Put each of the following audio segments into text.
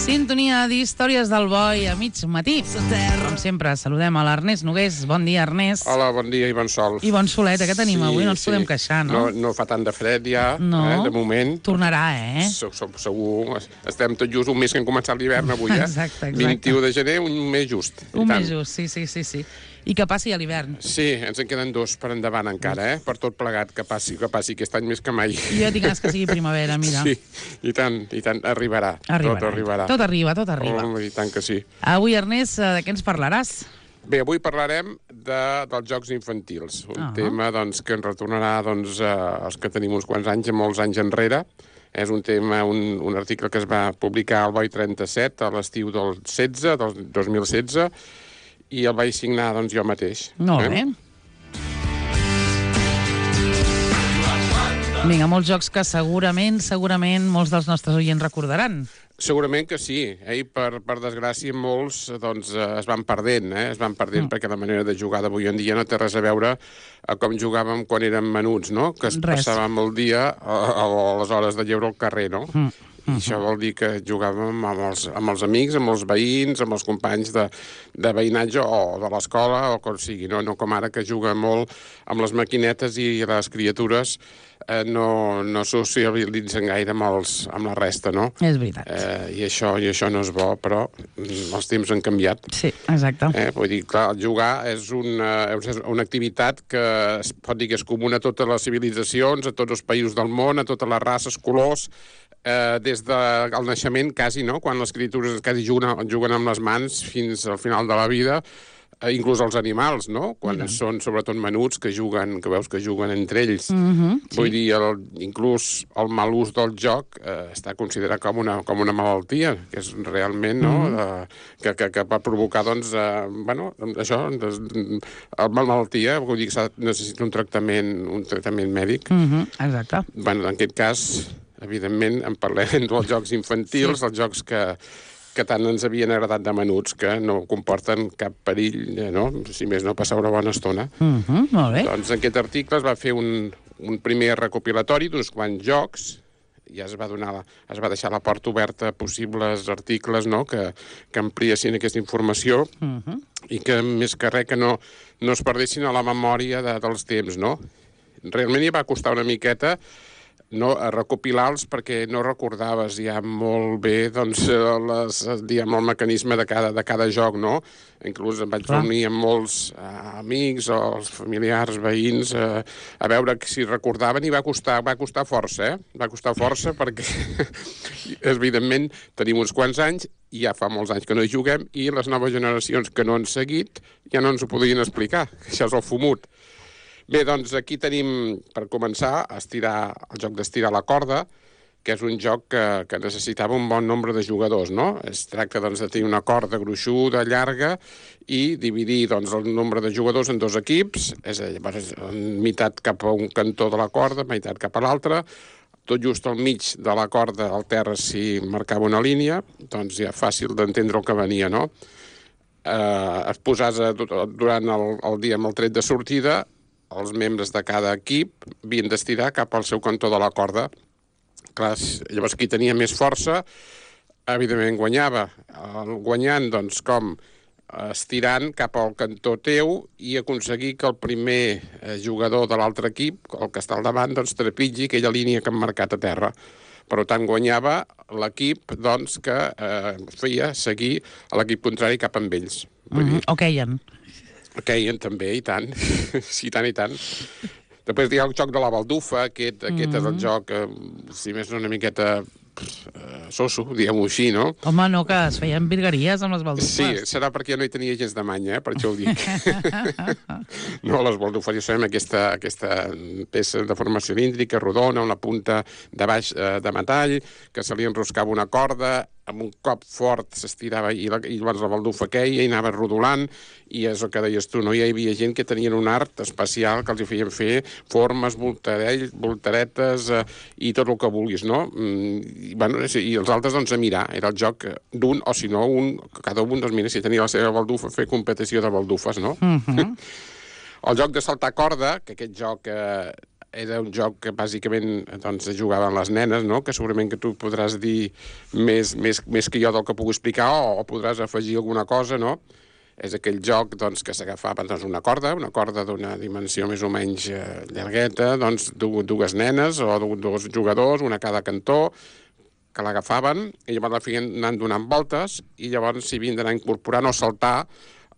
Sintonia d'Històries del Boi a mig matí. Com sempre, saludem a l'Ernest Nogués. Bon dia, Ernest. Hola, bon dia i bon sol. I bon solet, que tenim avui, no ens podem queixar, no? No fa tant de fred ja, de moment. Tornarà, Segur. Estem tot just un mes que hem començat l'hivern avui, Exacte. 21 de gener, un mes just. Un mes just, sí. I que passi a l'hivern. Sí, ens en queden 2 per endavant encara, Per tot plegat, que passi aquest any més que mai. Jo tinc ganes que sigui primavera, mira. Sí, i tant, arribarà. Tot arribarà. Tot arriba. I tant que sí. Avui, Ernest, de què ens parlaràs? Bé, avui parlarem dels jocs infantils, un tema que ens retornarà els que tenim uns quants anys, molts anys enrere. És un tema, un article que es va publicar al Boi 37 a l'estiu del 2016, i el vaig signar jo mateix. Molt bé. Vinga, molts jocs que segurament molts dels nostres oients recordaran. Segurament que sí, i per desgràcia molts es van perdent, perquè la manera de jugar d'avui en dia no té res a veure a com jugàvem quan érem menuts, no? Que passàvem el dia a les hores de lleure al carrer, no? I això vol dir que jugàvem amb els amics, amb els veïns, amb els companys de veïnatge o de l'escola o com sigui, no com ara que juga molt amb les maquinetes i les criatures no socialitzen gaire amb la resta, no? És veritat. I això no és bo, però els temps han canviat. Sí, exacte. Vull dir, clar, jugar és una activitat que es pot dir que és comuna a totes les civilitzacions, a tots els països del món, a totes les races, colors, des del naixement quasi, no? Quan les criatures quasi juguen amb les mans fins al final de la vida, inclús els animals, no? Quan són sobretot menuts que veus que juguen entre ells. Vull dir, inclús el mal ús del joc està considerat com una malaltia, que és realment, no? Que va provocar, això, la malaltia, vull dir que necessita un tractament mèdic. Exacte. En aquest cas, evidentment, en parlem dels jocs infantils, els jocs que tant ens havien agradat de menuts, que no comporten cap perill, no? Si més no, passar una bona estona. Molt bé. Doncs en aquest article es va fer un primer recopilatori d'uns quants jocs, ja es va deixar la porta oberta a possibles articles, no?, que ampliessin aquesta informació i que, més que res, que no es perdessin a la memòria dels temps, no? Realment hi va costar una miqueta a recopilar-los perquè no recordaves ja molt bé el mecanisme de cada joc, no? Inclús em vaig reunir amb molts amics o els familiars, veïns, a veure si recordaven, i va costar força, Va costar força perquè, evidentment, tenim uns quants anys, i ja fa molts anys que no hi juguem, i les noves generacions que no han seguit ja no ens ho podien explicar. Això és el fumut. Bé, doncs aquí tenim, per començar, el joc d'estirar la corda, que és un joc que necessitava un bon nombre de jugadors, no? Es tracta de tenir una corda gruixuda, llarga, i dividir el nombre de jugadors en 2 equips, és a dir, meitat cap a un cantó de la corda, meitat cap a l'altre, tot just al mig de la corda, al terra s'hi marcava una línia, doncs ja fàcil d'entendre el que venia, no? Es posava durant el dia amb el tret de sortida, els membres de cada equip havien d'estirar cap al seu cantó de la corda. Clar, llavors qui tenia més força, evidentment guanyava. Guanyant, com estirant cap al cantó teu i aconseguir que el primer jugador de l'altre equip, el que està al davant, trepitgi aquella línia que han marcat a terra. Per tant, guanyava l'equip que feia seguir l'equip contrari cap amb ells. O queien. Queien també, i tant. Sí, i tant. Després hi ha el joc de la baldufa, aquest és el joc, si més no una miqueta soso, diguem-ho així, no? Home, no, que es feien virgueries amb les baldufes. Sí, serà perquè jo no hi tenia gens de manya, per això ho dic. No, les baldufes, ja sabem, aquesta peça de forma cilíndrica, rodona, una punta de baix de metall, que se li enroscava una corda, amb un cop fort s'estirava i llavors la baldufa queia i anava rodolant, i és el que deies tu, no? Hi havia gent que tenien un art especial que els hi feien fer formes, voltaretes i tot el que vulguis, no? I els altres a mirar, era el joc d'un, o si no, cada un mira, si tenia la seva baldufa, fer competició de baldufes, no? El joc de saltar corda, que aquest joc era un joc que bàsicament doncs, jugaven les nenes, no? Que segurament que tu podràs dir més que jo del que puc explicar o podràs afegir alguna cosa, no? És aquell joc doncs, que s'agafava doncs, una corda d'una dimensió més o menys llargueta, doncs, dues nenes o dos jugadors, una a cada cantó, que l'agafaven i llavors la feien anant donant voltes i llavors s'hi havien d'anar incorporant o saltar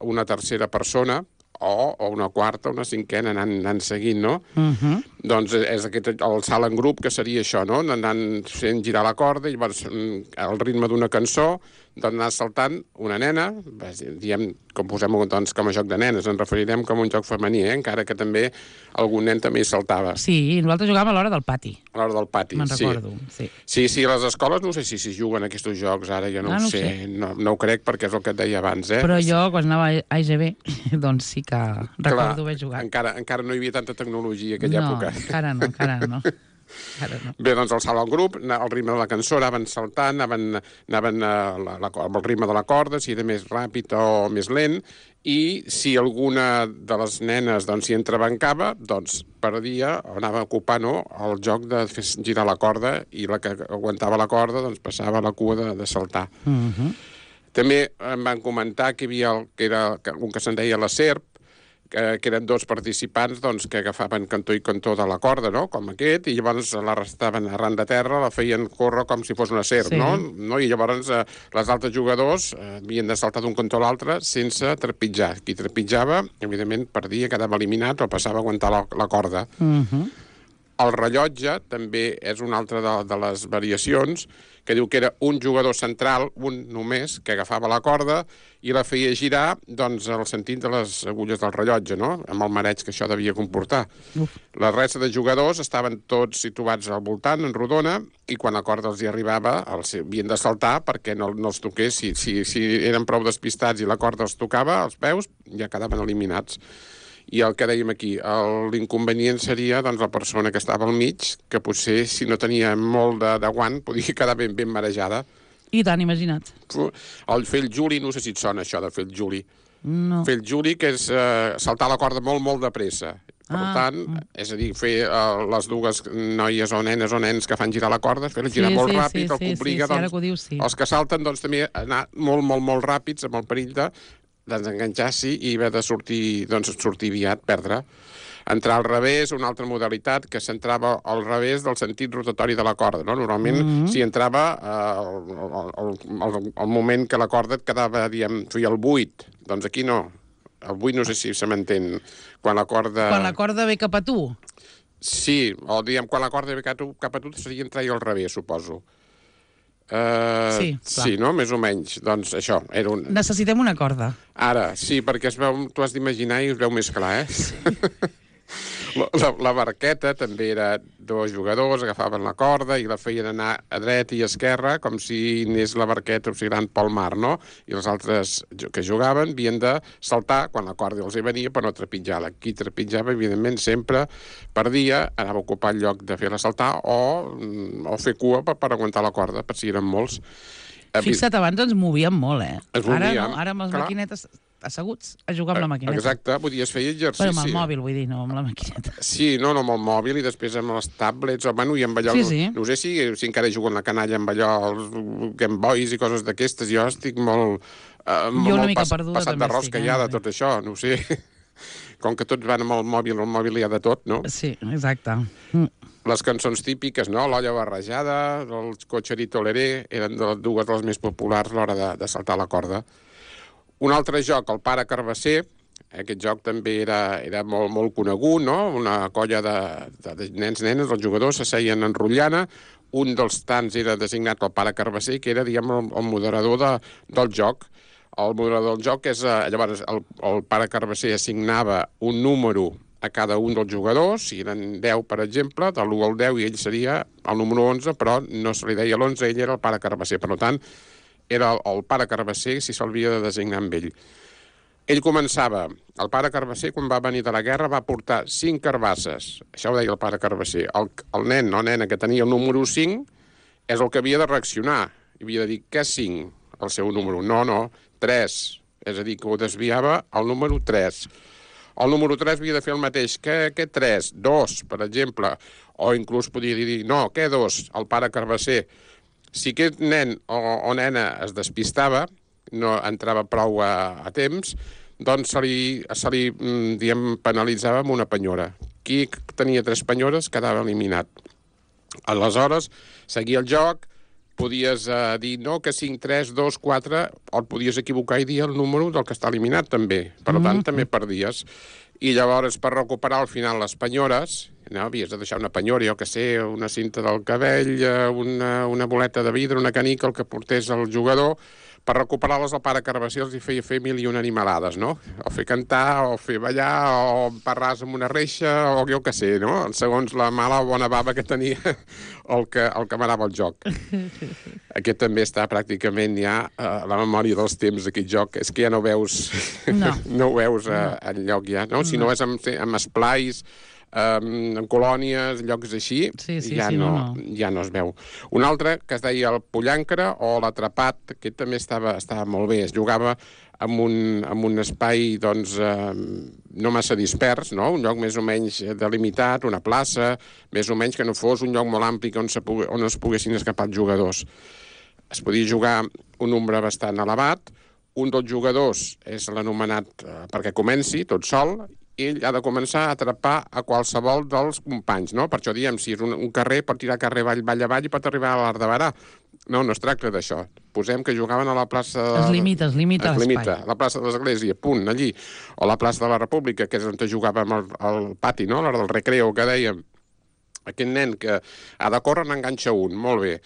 una tercera persona o una quarta, una cinquena, anant seguint, no? Doncs és el salt en grup, que seria això, no? Anant fent girar la corda i llavors al ritme d'una cançó d'anar saltant una nena, diem, com posem doncs, com a joc de nenes, ens referirem com un joc femení, encara que també algun nen també hi saltava. Sí, nosaltres jugàvem a l'hora del pati. A l'hora del pati, me'n recordo, sí. Sí, a les escoles no sé si juguen aquests jocs, ara ja no ho sé. No ho crec perquè és el que et deia abans, Però jo, quan anava a IGB, doncs sí que recordo haver jugat. Encara no hi havia tanta tecnologia en aquella època. No, encara no. Bé, doncs el salt en grup, al ritme de la cançó anaven saltant, anaven amb el ritme de la corda, si era més ràpid o més lent, i si alguna de les nenes doncs, s'hi entrebancava, doncs perdia o anava a ocupar el joc de fer girar la corda i la que aguantava la corda doncs, passava a la cua de saltar. També em van comentar que hi havia un que se'n deia la serp, que eren dos participants doncs, que agafaven cantó i cantó de la corda, no? Com aquest, i llavors l'arrestaven arran de terra, la feien córrer com si fos una serp, sí. no? I llavors les altres jugadors havien de saltar d'un cantó a l'altre sense trepitjar. Qui trepitjava, evidentment, perdia, quedava eliminat o passava a aguantar la corda. El rellotge també és una altra de les variacions, que diu que era un jugador central, un només, que agafava la corda i la feia girar doncs, al sentit de les agulles del rellotge, no? Amb el mareig que això devia comportar. La resta de jugadors estaven tots situats al voltant, en rodona, i quan la corda els hi arribava, havien de saltar perquè no els toqués. Si eren prou despistats i la corda els tocava als peus, ja quedaven eliminats. I el que dèiem aquí, l'inconvenient seria doncs, la persona que estava al mig, que potser, si no tenia molt de guant, podia quedar ben marejada. I tant, imagina't. El fer el juli, no sé si et sona això de fer el juli. No. Fer el juli, que és saltar la corda molt de pressa. Per tant, és a dir, fer les dues noies o nenes o nens que fan girar la corda, fer-la girar molt ràpid, el que obliga els que salten doncs, també a anar molt ràpids, amb el perill de desenganxar-s'hi i haver de sortir aviat, perdre. Entrar al revés, una altra modalitat que s'entrava al revés del sentit rotatori de la corda, no? Normalment s'hi entrava al moment que la corda et quedava, feia el buit. Doncs aquí no. El buit no sé si se m'entén. Quan la corda ve cap a tu? Sí, o quan la corda ve cap a tu seria entrar-hi al revés, suposo. Sí, no? Més o menys. Doncs això, era un... Necessitem una corda. Ara, sí, perquè tu has d'imaginar i es veu més clar, La barqueta també era dos jugadors, agafaven la corda i la feien anar a dreta i a esquerra, com si anés la barqueta oscil·lant pel mar, no? I els altres que jugaven havien de saltar quan la corda els hi venia per no trepitjar-la. Qui trepitjava, evidentment, sempre perdia, anava a ocupar el lloc de fer-la saltar o fer cua per aguantar la corda, per si eren molts. Fixa't, abans ens movíem molt, Ens movíem. Ara amb les maquinetes asseguts a jugar amb la maquineta. Exacte, podies fer exercici. Però amb el mòbil, vull dir, no amb la maquineta. Sí, no amb el mòbil i després amb les tablets, i amb allò... Sí. No sé si encara juguen la canalla amb allò, els Game Boys i coses d'aquestes. Jo estic molt... Jo una mica perduda passat de rosca ja de tot això, no ho sé. Com que tots van amb el mòbil hi ha de tot, no? Sí, exacte. Les cançons típiques, no? L'olla barrejada, el cotxerito leré, eren dues de les més populars a l'hora de saltar la corda. Un altre joc, el pare Carbasser, aquest joc també era molt conegut, no? Una colla de nens, nenes, els jugadors s'asseien en rotllana, un dels tants era designat el pare Carbasser, que era, diguem, el moderador del joc. El moderador del joc és, llavors, el pare Carbasser assignava un número a cada un dels jugadors, si eren 10, per exemple, de l'1 al 10, i ell seria el número 11, però no se li deia l'11, ell era el pare Carbasser. Per tant, era el pare Carbasser si s'havia de designar amb ell. Ell començava, el pare Carbasser, quan va venir de la guerra, va portar 5 carbasses. Això ho deia el pare Carbasser. El nen o nena que tenia el número 5 és el que havia de reaccionar. Havia de dir, què 5? El seu número. No, 3. És a dir, que ho desviava al número 3. El número 3 havia de fer el mateix. Què 3? 2, per exemple. O inclús podia dir, no, què 2? El pare Carbasser. Si aquest nen o nena es despistava, no entrava prou a temps, doncs se li diguem, penalitzava amb una penyora. Qui tenia 3 penyores quedava eliminat. Aleshores, seguia el joc, podies dir no, que 5, 3, 2, 4, o et podies equivocar i dir el número del que està eliminat, també. Per tant, també perdies. I llavors, per recuperar al final les penyores, no, havies de deixar una penyora, jo que sé, una cinta del cabell, una boleta de vidre, una canica, el que portés el jugador. Per recuperar-les, el pare Carbasser els hi feia fer 1001 animalades, no? O fer cantar, o fer ballar, o parrar amb una reixa, o jo que sé, no? Segons la mala o bona bava que tenia el que manava el joc. Aquest també està pràcticament ja a la memòria dels temps, aquest joc. És que ja no veus... No ho veus enlloc ja, no? Si no és amb esplais, en colònies, llocs així, ja no es veu. Un altre que es deia el Pollancre o l'Atrapat, que també estava molt bé. Es jugava en un espai doncs, no massa dispers, no? Un lloc més o menys delimitat, una plaça, més o menys que no fos un lloc molt ampli on es poguessin escapar els jugadors. Es podia jugar un nombre bastant elevat, un dels jugadors és l'anomenat perquè comenci, tot sol, ell ha de començar a atrapar a qualsevol dels companys, no? Per això diem, si és un carrer, pot tirar carrer avall i pot arribar a l'Arc de Berà. No es tracta d'això. Posem que jugaven a la plaça... Es limita l'espai. La plaça de l'Església, punt, allí. O la plaça de la República, que és on jugàvem al pati, no? A l'hora del recreo, que dèiem. Aquest nen que ha de córrer n'enganxa un, molt bé.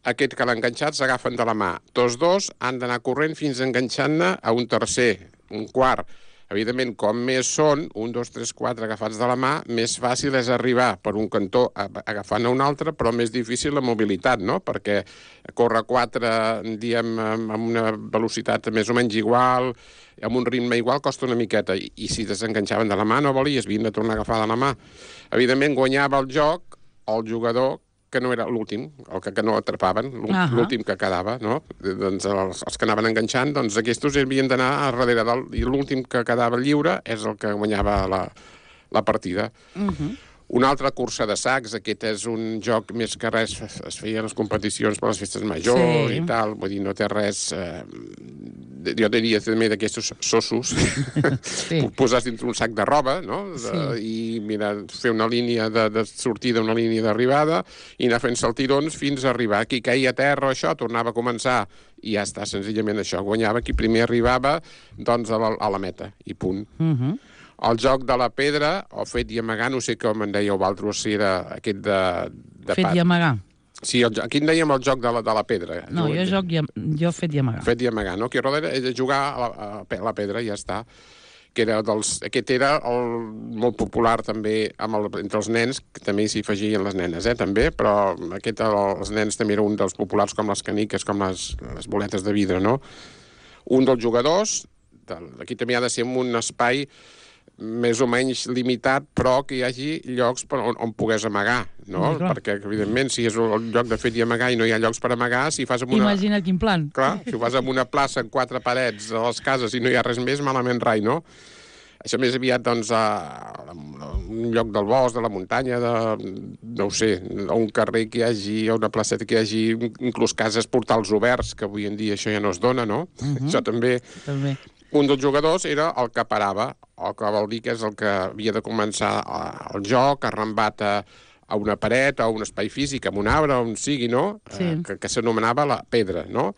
Aquest que l'ha enganxat s'agafen de la mà. Tots dos han d'anar corrent fins enganxant-ne a un tercer, un quart. Evidentment, com més són, 1, 2, 3, 4 agafats de la mà, més fàcil és arribar per un cantó agafant a un altre, però més difícil la mobilitat, no? Perquè córrer 4, diem, amb una velocitat més o menys igual, amb un ritme igual, costa una miqueta. I si desenganxaven de la mà, no volies, havien de tornar a agafar de la mà. Evidentment, guanyava el joc el jugador que no era l'últim, el que no atrapaven, l'últim que quedava, no? Doncs els que anaven enganxant, doncs aquests havien d'anar a darrere i l'últim que quedava lliure és el que guanyava la partida. Una altra cursa de sacs, aquest és un joc més que res, es feien les competicions per les festes majors i tal, vull dir, no té res... jo diria també d'aquests sossos, posar dintre un sac de roba, no? I mira, fer una línia de sortida, una línia d'arribada, i anar fent saltirons fins a arribar. Qui caia a terra, això, tornava a començar, i ja està, senzillament això. Guanyava qui primer arribava, doncs, a la meta, i punt. El joc de la pedra, o fet i amagar, no sé com en dèieu vosaltres, si era aquest de fet i amagar. Sí, aquí en dèiem el joc de la pedra. No, jo fet i amagar. Fet i amagar, no? Aquí a darrere és jugar a la pedra, ja està. Aquest era molt popular també entre els nens, que també s'hi afegien les nenes, també, però els nens també era un dels populars com les caniques, com les boletes de vidre, no? Un dels jugadors, aquí també ha de ser en un espai més o menys limitat, però que hi hagi llocs on pogués amagar, no? Perquè, evidentment, si és el lloc de fet i amagar i no hi ha llocs per amagar, si fas amb una... Imagina't quin plan. Clar, si ho fas amb una plaça amb 4 parets a les cases i no hi ha res més, malament rai, no? Això més aviat, doncs, a un lloc del bosc, de la muntanya, no ho sé, a un carrer que hi hagi, a una placeta que hi hagi, inclús cases, portals oberts, que avui en dia això ja no es dona, no? Això també... Un dels jugadors era el que parava, el que vol dir que és el que havia de començar el joc, arrambat a una paret, a un espai físic, a un arbre, on sigui, no? Que s'anomenava la pedra, no?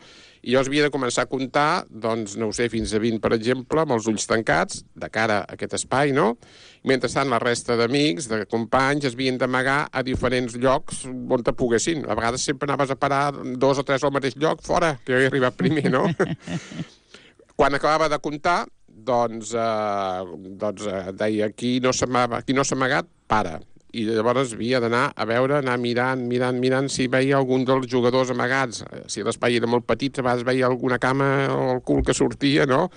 I llavors havia de començar a comptar, doncs, no ho sé, fins a 20, per exemple, amb els ulls tancats, de cara a aquest espai, no? Mentrestant, la resta d'amics, de companys, es havien d'amagar a diferents llocs on te poguessin. A vegades sempre anaves a parar 2 o 3 al mateix lloc, fora, que havia arribat primer, no? Quan acabava de comptar, doncs deia, qui no s'ha amagat, para. I llavors havia d'anar a veure, anar mirant si veia algun dels jugadors amagats. Si l'espai era molt petit, a vegades veia alguna cama o el cul que sortia, no?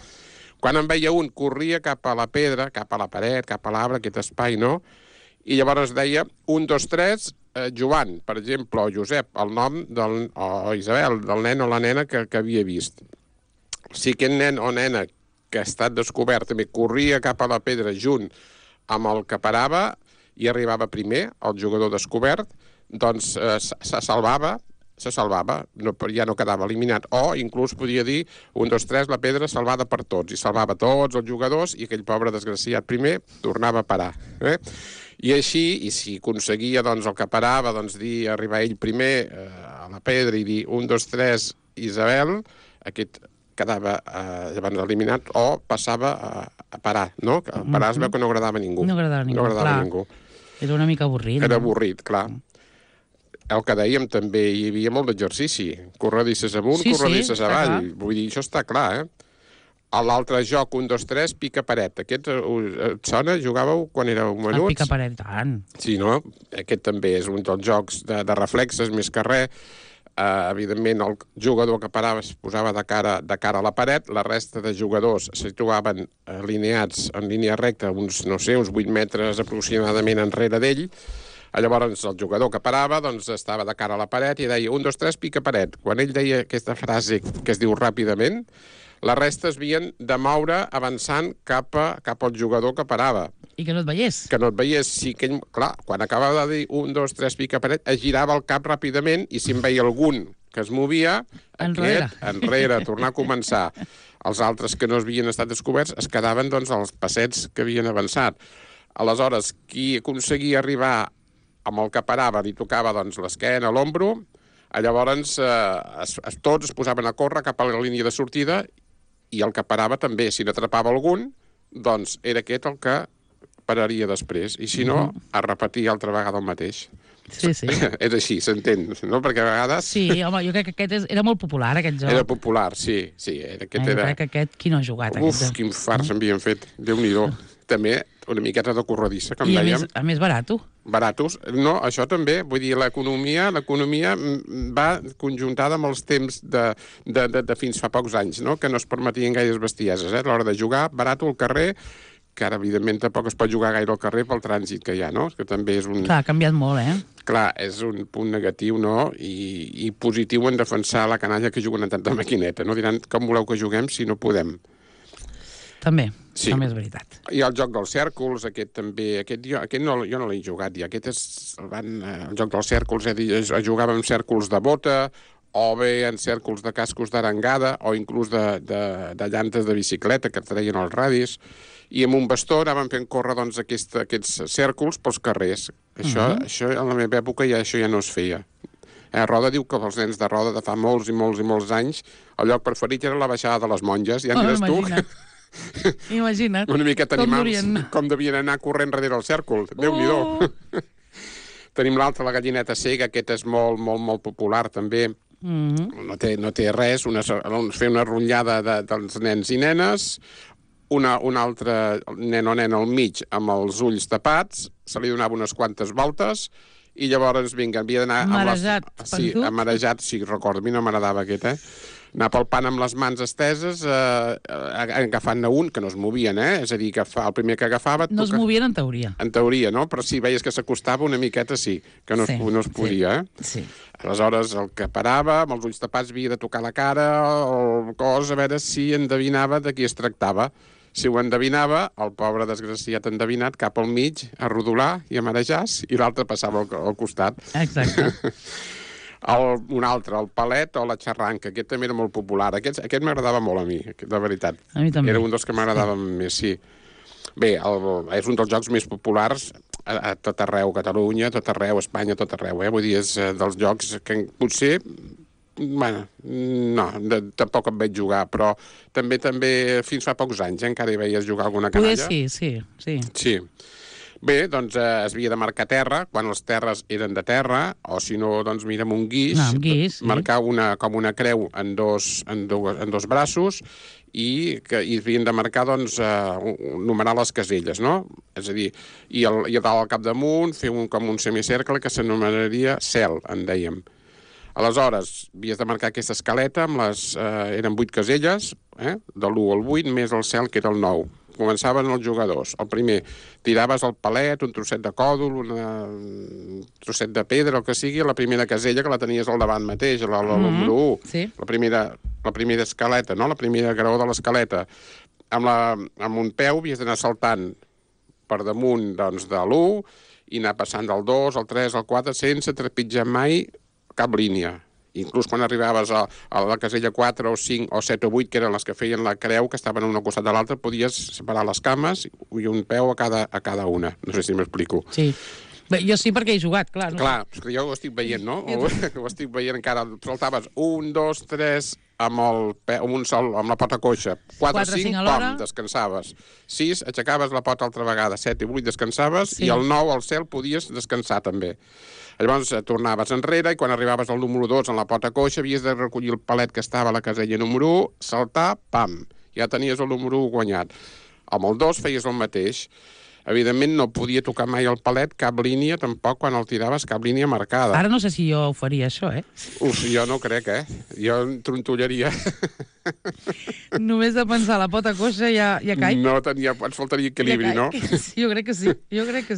Quan en veia un, corria cap a la pedra, cap a la paret, cap a l'arbre, aquest espai, no? I llavors deia 1, 2, 3, Joan, per exemple, o Josep, el nom o Isabel, del nen o la nena que havia vist. Si aquest nen o nena que ha estat descobert també corria cap a la pedra junt amb el que parava i arribava primer, el jugador descobert, doncs se salvava, ja no quedava eliminat, o inclús podia dir 1, 2, 3, la pedra salvada per tots, i salvava tots els jugadors i aquell pobre desgraciat primer tornava a parar. I així, i si aconseguia doncs, el que parava, doncs, arribar ell primer a la pedra i dir 1, 2, 3, Isabel, aquest quedava llavors eliminat o passava a parar, no? Parar es veu que no agradava a ningú. No agradava a ningú. Era una mica avorrit. Era avorrit, clar. El que dèiem, també hi havia molt d'exercici. Corredisses amunt, corredisses avall. Vull dir, això està clar, L'altre joc, 1, 2, 3, pica paret. Aquest et sona? Jugàveu quan éreu menuts? El pica paret, tant. Sí, no? Aquest també és un dels jocs de reflexes, més que res. Evidentment, el jugador que parava es posava de cara a la paret, la resta de jugadors se situaven alineats en línia recta uns 8 metres aproximadament enrere d'ell. Llavors, el jugador que parava doncs, estava de cara a la paret i deia 1, 2, 3, pica paret. Quan ell deia aquesta frase que es diu ràpidament, la resta es havien de moure avançant cap al jugador que parava. I que no et veiés. Que no et veiés. Sí que ell, clar, quan acabava de dir 1, 2, 3, pica paret, es girava el cap ràpidament i si en veia algun que es movia, enrere, tornar a començar. Els altres que no havien estat descoberts es quedaven doncs, als passets que havien avançat. Aleshores, qui aconseguia arribar amb el que parava, li tocava doncs, l'esquena, l'ombro, llavors tots es posaven a córrer cap a la línia de sortida i el que parava també, si n'atrapava algun, doncs era aquest el que pararia després, i si no, a repetir altra vegada el mateix. Sí. És així, s'entén, no? Perquè a vegades... Sí, home, jo crec que aquest era molt popular, aquest joc. Era popular, sí. Jo crec que aquest, qui no ha jugat? Quin fars havien fet, Déu-n'hi-do. També una miqueta de corredissa, com dèiem. I a més barato. Baratos. No, això també, vull dir, l'economia va conjuntada amb els temps de fins fa pocs anys, no? Que no es permetien gaires bestieses, a l'hora de jugar, barato al carrer, que ara, evidentment, tampoc es pot jugar gaire al carrer pel trànsit que hi ha, no? Que també és un... Clar, ha canviat molt, Clar, és un punt negatiu, no? I positiu en defensar la canalla que juguen en tanta maquineta, no? Diran, com voleu que juguem si no podem? També, també és veritat. I el joc dels cèrcols, aquest també... jo no l'he jugat, ja. Aquest és... El joc dels cèrcols, es jugava amb cèrcols de bota, o bé en cèrcols de cascos d'arengada, o inclús de llantes de bicicleta que treien els radis, i amb un bastó anaven fent córrer doncs, aquests cèrcols pels carrers. Això en la meva època això ja no es feia. Roda diu que els nens de Roda de fa molts i molts i molts anys el lloc preferit era la baixada de les monges, ja em diràs tu. Imagina't. Una miqueta animals, com devien anar corrent darrere el cèrcol. Déu-n'hi-do. Tenim l'altre, la gallineta cega, aquest és molt, molt, molt popular, també. No té res, fer una rotllada dels nens i nenes, un altre nen o nena al mig amb els ulls tapats, se li donava unes quantes voltes, i llavors, vinga, havia d'anar... Marejat, amarejat, sí, recordo, a mi no m'agradava aquest, anar pel pan amb les mans esteses, agafant-ne un, que no es movien, És a dir, que el primer que agafava... No es movien en teoria. En teoria, no? Però si veies que s'acostava una miqueta, sí, que no es podia, Sí. Aleshores, el que parava, amb els ulls tapats, havia de tocar la cara o el cos, a veure si endevinava de qui es tractava. Si ho endevinava, el pobre desgraciat endevinat cap al mig, a rodolar i a marejars, i l'altre passava al costat. Exacte. Un altre, el palet o la xarranca, aquest també era molt popular. Aquest m'agradava molt a mi, de veritat. A mi també. Era un dels que m'agradava més, sí. Bé, és un dels jocs més populars a tot arreu, Catalunya, a tot arreu, Espanya, a tot arreu. Vull dir, és dels jocs que potser... Bueno, no, tampoc em veig jugar, però també fins fa pocs anys encara hi veies jugar alguna canalla. Sí. Bé, doncs es havia de marcar terra, quan les terres eren de terra, o si no, doncs mira, amb un guix, marcar com una creu en dos braços, i havien de marcar, doncs, numerar les caselles, no? És a dir, i dalt al capdamunt fer com un semicercle que s'anomenaria cel, en dèiem. Aleshores, havies de marcar aquesta escaleta, eren 8 caselles, de l'1 al 8, més el cel, que era el 9. Començaven els jugadors. El primer, tiraves el palet, un trosset de còdol, un trosset de pedra, el que sigui, la primera casella que la tenies al davant mateix, la número 1. Sí. La primera escaleta, no? La primera graó de l'escaleta. amb un peu havies d'anar saltant per damunt doncs, de l'1 i anar passant del 2, al 3, al 4, sense trepitjar mai cap línia. Inclús quan arribaves a la casella 4 o 5 o 7 o 8, que eren les que feien la creu, que estaven un al costat de l'altre, podies separar les cames i un peu a cada una. No sé si m'explico. Sí. Bé, jo sí perquè he jugat, clar. No? Clar, és que jo ho estic veient, no? Ho estic veient encara. Saltaves 1, 2, 3 amb la pota coixa. 4, 5, pam, descansaves. 6, aixecaves la pota altra vegada. 7 i 8 descansaves, i el 9 al cel podies descansar també. Llavors tornaves enrere i quan arribaves al número 2 en la pota coixa havies de recollir el palet que estava a la casella número 1, saltar, pam, ja tenies el número 1 guanyat. Amb el 2 feies el mateix. Evidentment no podia tocar mai el palet, cap línia, tampoc quan el tiraves, cap línia marcada. Ara no sé si jo ho faria, això, Uf, jo no crec, Jo em trontollaria. Només de pensar la pota coixa ja caic. No ens faltaria equilibri, no? Sí, jo crec que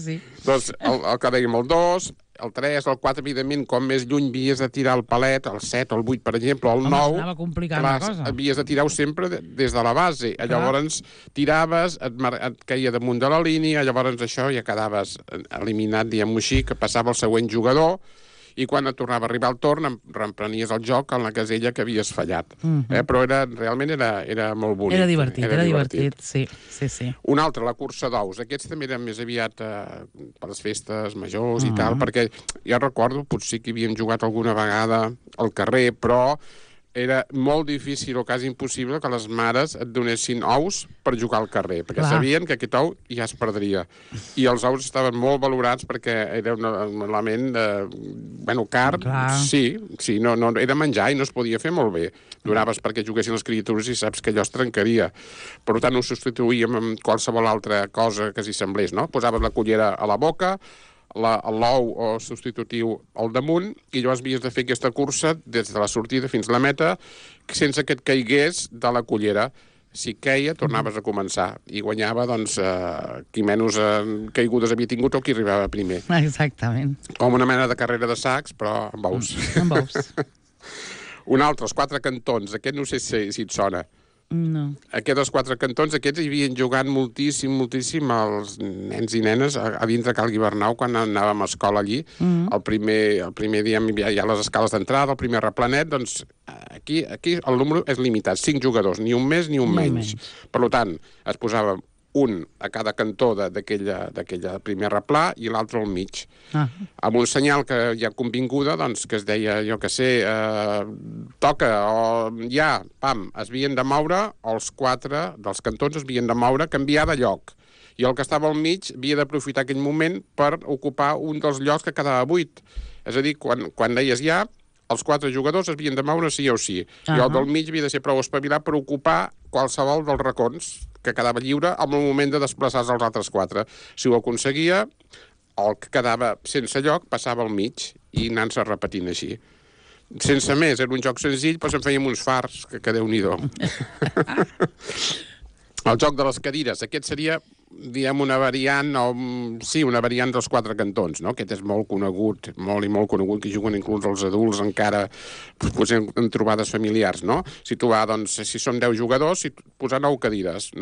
sí. Doncs el que dèiem, el 2, el 3, el 4, evidentment, com més lluny havies de tirar el palet, el 7, el 8, per exemple, el 9... Anava complicant la cosa. Havies de tirar-ho sempre des de la base. Llavors tiraves, et caia damunt de la línia, llavors això ja quedaves eliminat, diguem-ho així, que passava el següent jugador, i quan et tornava a arribar el torn reemprenies el joc en la casella que havies fallat. Però realment era molt bonic. Era divertit, sí. Un altre, la cursa d'ous. Aquests també eren més aviat per les festes majors i tal, perquè ja recordo, potser que havíem jugat alguna vegada al carrer, però era molt difícil o quasi impossible que les mares et donessin ous per jugar al carrer, perquè sabien que aquest ou ja es perdria. I els ous estaven molt valorats perquè era un element car. Sí, no, era menjar i no es podia fer molt bé. Donaves perquè juguessin les criatures i saps que allò es trencaria. Per tant, ho substituïem amb qualsevol altra cosa que s'hi semblés, no? Posaves la cullera a la boca, l'ou o substitutiu al damunt, i llavors havies de fer aquesta cursa des de la sortida fins a la meta sense que et caigués de la cullera. Si queia, tornaves a començar. I guanyava, doncs, qui menys caigudes havia tingut o qui arribava primer. Exactament. Com una mena de carrera de sacs, però amb ous. Amb ous. Un altre, els 4 cantons. Aquest no sé si et sona. No. Aquests 4 cantons, aquests hi havien jugant moltíssim els nens i nenes a dintre Cal Guibernau quan anàvem a escola allí. El primer dia hi ha les escales d'entrada, el primer replanet, doncs aquí el número és limitat, 5 jugadors, ni un més ni un menys. Per tant, es posava un a cada cantó d'aquella primer replà i l'altre al mig. Amb un senyal que ja convinguda, doncs, que es deia, jo que sé, toca, o ja, pam, es havien de moure, els 4 dels cantons es havien de moure, canviar de lloc. I el que estava al mig havia d'aprofitar aquell moment per ocupar un dels llocs que quedava buit. És a dir, quan deies ja, els 4 jugadors es havien de moure sí o sí. I el del mig havia de ser prou espavilat per ocupar qualsevol dels racons que quedava lliure en el moment de desplaçar-se als altres 4. Si ho aconseguia, el que quedava sense lloc passava al mig i anant-se repetint així. Sense més, era un joc senzill, però se'n fèiem uns fars, que Déu-n'hi-do. El joc de les cadires, aquest seria, diguem, una variant dels 4 cantons, no? Aquest és molt conegut, molt conegut, que juguen inclús els adults encara, potser en trobades familiars, no? Situar, doncs, si són 10 jugadors, posar 9 cadires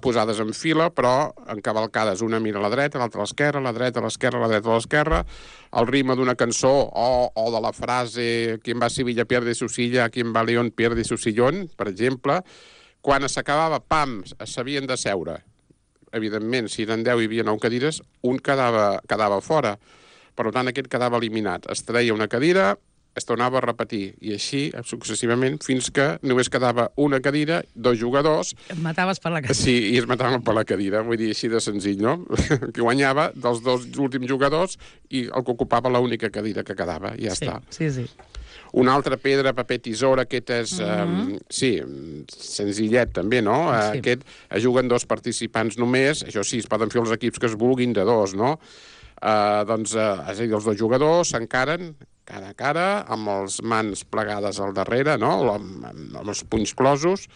posades en fila, però encavalcades, una mira a la dreta, l'altra a l'esquerra, la dreta a l'esquerra, la dreta a l'esquerra, el ritme d'una cançó o de la frase «Quien va a Sevilla pierde su silla, quien va a León pierde su sillón», per exemple. Quan s'acabava, pam, s'havien de seure. Evidentment, si eren 10 i hi havia 9 cadires, un quedava fora. Per tant, aquest quedava eliminat. Es treia una cadira, es tornava a repetir, i així successivament, fins que només quedava una cadira, 2 jugadors... Et mataves per la cadira. Sí, i es mataven per la cadira, vull dir, així de senzill, no? Que guanyava dels 2 últims jugadors i el que ocupava l'única cadira que quedava, i ja està. Sí. Una altra pedra, paper, tisora, aquest és, senzillet també, no? Sí. Aquest juguen 2 participants només, això sí, es poden fer els equips que es vulguin de 2, no? És a dir, els 2 jugadors s'encaren cara a cara, amb les mans plegades al darrere, no? Amb els punys closos,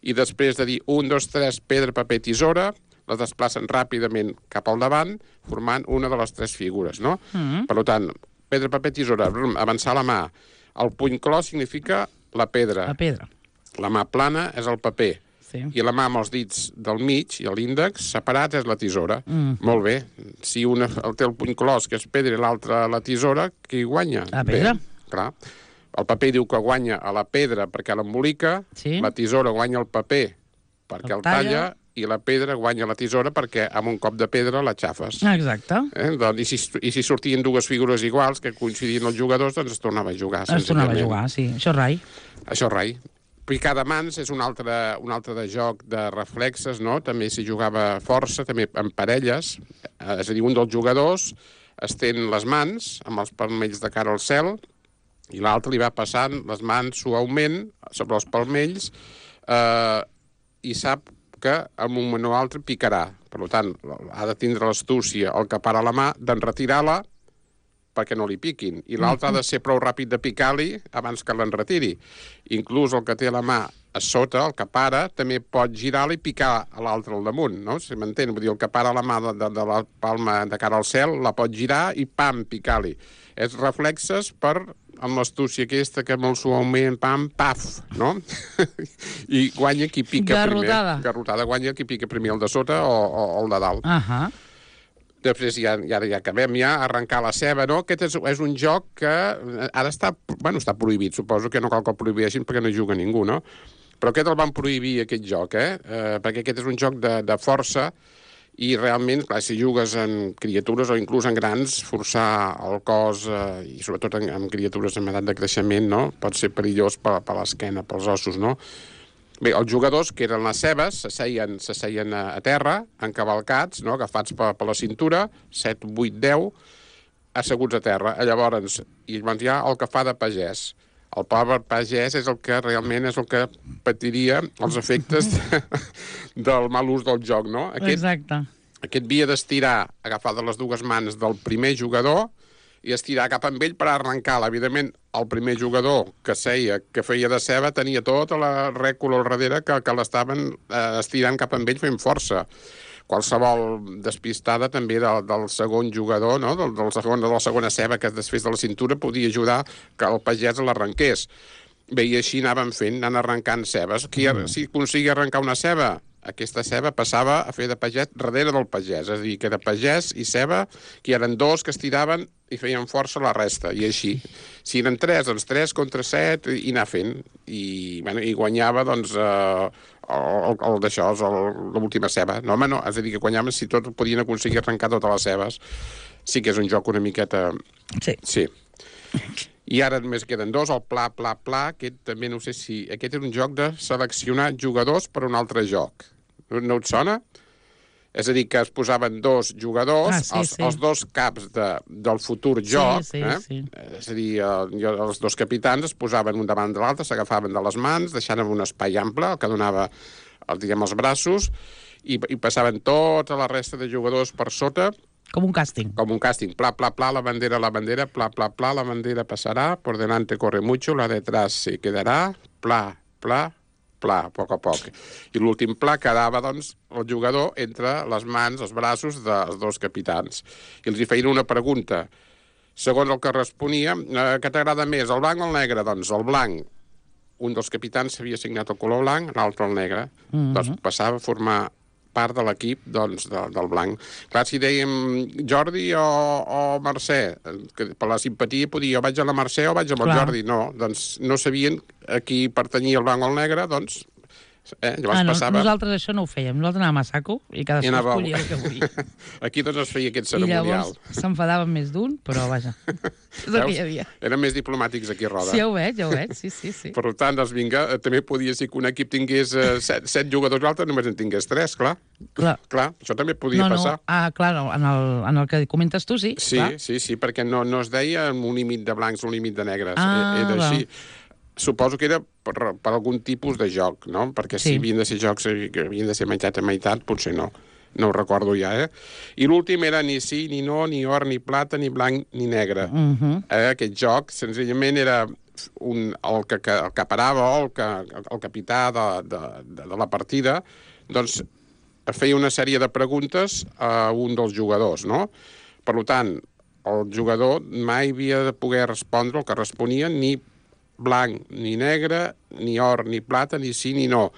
i després de dir 1, 2, 3, pedra, paper, tisora, les desplacen ràpidament cap al davant, formant una de les 3 figures, no? Per tant, pedra, paper, tisora, avançar la mà. El puny clos significa la pedra. La pedra. La mà plana és el paper. sí. I la mà amb els dits del mig i l'índex separats és la tisora. Molt bé. Si una té el puny clos, que és pedra, i l'altra la tisora, qui guanya? La pedra. Bé, clar. El paper diu que guanya a la pedra perquè l'embolica, Sí. la tisora guanya el paper perquè el talla, i la pedra guanya la tisora perquè amb un cop de pedra la xafes. Exacte. Doncs, i si sortien dues figures iguals que coincidien els jugadors, doncs es tornava a jugar. Es tornava a jugar, sí. Això és rai. Això és rai. Picar de mans és un altre de joc de reflexes, no? També s'hi jugava força, també en parelles. És a dir, un dels jugadors estén les mans amb els palmells de cara al cel i l'altre li va passant les mans suaument sobre els palmells i sap que en un moment o altre picarà. Per tant, ha de tindre l'astúcia, el que para la mà, d'enretirar-la perquè no li piquin. I l'altre ha de ser prou ràpid de picar-li abans que l'enretiri. Inclús el que té la mà a sota, el que para, també pot girar-la i picar a l'altre al damunt, no? Si m'entén? Vull dir, el que para la mà de la palma de cara al cel la pot girar i, pam, picar-li. És reflexes per amb l'astúcia aquesta que molt suaument, pam, paf, no? I guanya qui pica Garrotada. primer. Garrotada guanya qui pica primer, el de sota o el de dalt. Després ja acabem arrencar la ceba, no? Aquest és un joc que ara està prohibit, suposo que no cal que el prohibeixin perquè no hi juga ningú, no? Però aquest el van prohibir, aquest joc, perquè aquest és un joc de força i realment, clar, si jugues en criatures o inclús en grans, forçar el cos, i sobretot en criatures en edat de creixement, no? Pot ser perillós per l'esquena, pels ossos, no? Bé, els jugadors, que eren les cebes, s'asseien a terra, encavalcats, no? Agafats per la cintura, 7, 8, 10, asseguts a terra. Llavors hi ha el que fa de pagès. El pobre pagès és el que realment és el que patiria els efectes del mal ús del joc, no? Exacte. Aquest havia d'estirar, agafar de les dues mans del primer jugador i estirar cap amb ell per arrencar-la. Evidentment, el primer jugador que feia de ceba tenia tota la rècula al darrere que l'estaven estirant cap amb ell fent força. Qualsevol despistada també del segon jugador, no? de la segona ceba que es desfés de la cintura, podia ajudar que el pagès l'arrenqués. Bé, i així anàvem fent, anant arrencant cebes. Si aconseguia arrencar una ceba, aquesta ceba passava a fer de pagès darrere del pagès. És a dir, que era pagès i ceba, que eren dos que estiraven i feien força la resta. I així, si eren 3, doncs 3 contra 7, i anar fent. I guanyava, doncs, l'última ceba. No, home, no. És a dir, que guanyaven si tots podien aconseguir arrencar totes les cebes. Sí que és un joc una miqueta... Sí. I ara només queden 2, el pla, pla, pla, aquest també no sé si... Aquest és un joc de seleccionar jugadors per un altre joc. No et sona? És a dir, que es posaven 2 jugadors, els 2 caps del futur joc, sí. És a dir, els 2 capitans es posaven un davant de l'altre, s'agafaven de les mans, deixant un espai ample, el que donava, els braços, i passaven tota la resta de jugadors per sota. Com un càsting. Com un càsting. Pla, pla, pla, la bandera, pla, pla, pla, la bandera passarà, por delante corre mucho, la detrás se quedarà, pla, pla, pla, a poc a poc. I l'últim pla quedava, doncs, el jugador entre les mans, els braços dels 2 capitans. I els hi feien una pregunta. Segons el que responia, què t'agrada més, el blanc o el negre? Doncs el blanc. Un dels capitans s'havia assignat el color blanc, l'altre el negre. Doncs passava a formar part de l'equip, doncs, del blanc. Clar, si dèiem Jordi o Mercè, que per la simpatia podia o vaig a la Mercè o vaig amb el Jordi. No, doncs no sabien a qui pertanyia el blanc o el negre, doncs llavors passava... Nosaltres això no ho fèiem. Nosaltres anàvem a saco i cadascú escollia el que volia. Aquí doncs es feia aquest ceremonial. I llavors s'enfadaven més d'un, però vaja, és el que hi havia. Eren més diplomàtics aquí a Roda. Sí, ja ho veig, sí. Per tant, doncs vinga, també podia ser que un equip tingués 7 jugadors i l'altre només en tingués 3, clar. Clar, això també podia passar. Clar, en el que comentes tu, sí. Sí, perquè no es deia un límit de blancs o un límit de negres. Era així. Suposo que era per algun tipus de joc, no? Perquè si havien de ser jocs que havien de ser meitat a meitat, potser no. No ho recordo ja, I l'últim era ni sí, ni no, ni or, ni plata, ni blanc, ni negre. Aquest joc, senzillament, era el que parava o el capità de la partida, doncs feia una sèrie de preguntes a un dels jugadors, no? Per tant, el jugador mai havia de poder respondre el que responia ni blanc, ni negre, ni or, ni plata, ni sí, ni no.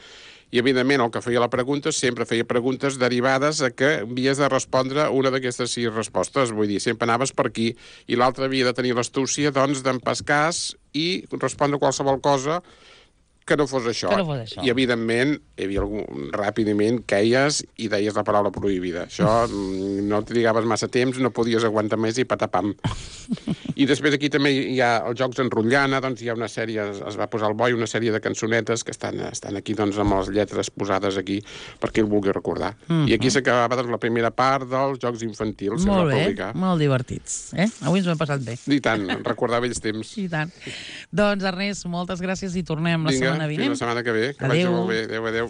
I, evidentment, el que feia la pregunta sempre feia preguntes derivades a que havies de respondre una d'aquestes 6 respostes. Vull dir, sempre anaves per aquí. I l'altre havia de tenir l'astúcia, doncs, d'empescar i respondre qualsevol cosa que no fos això. I, evidentment, hi havia ràpidament queies i deies la paraula prohibida. Això no trigaves massa temps, no podies aguantar més i patapam. I després aquí també hi ha els jocs en rotllana, doncs hi ha una sèrie, es va posar al boi una sèrie de cançonetes que estan aquí doncs amb les lletres posades aquí perquè el vulgui recordar. I aquí s'acabava doncs la primera part dels jocs infantils. Molt bé, molt divertits. Avui ens ho hem passat bé. I tant, recordar vells temps. I tant. Doncs, Ernest, moltes gràcies i tornem la setmana vinent. Fins la setmana que ve. Que vagi molt bé. Adéu, adéu.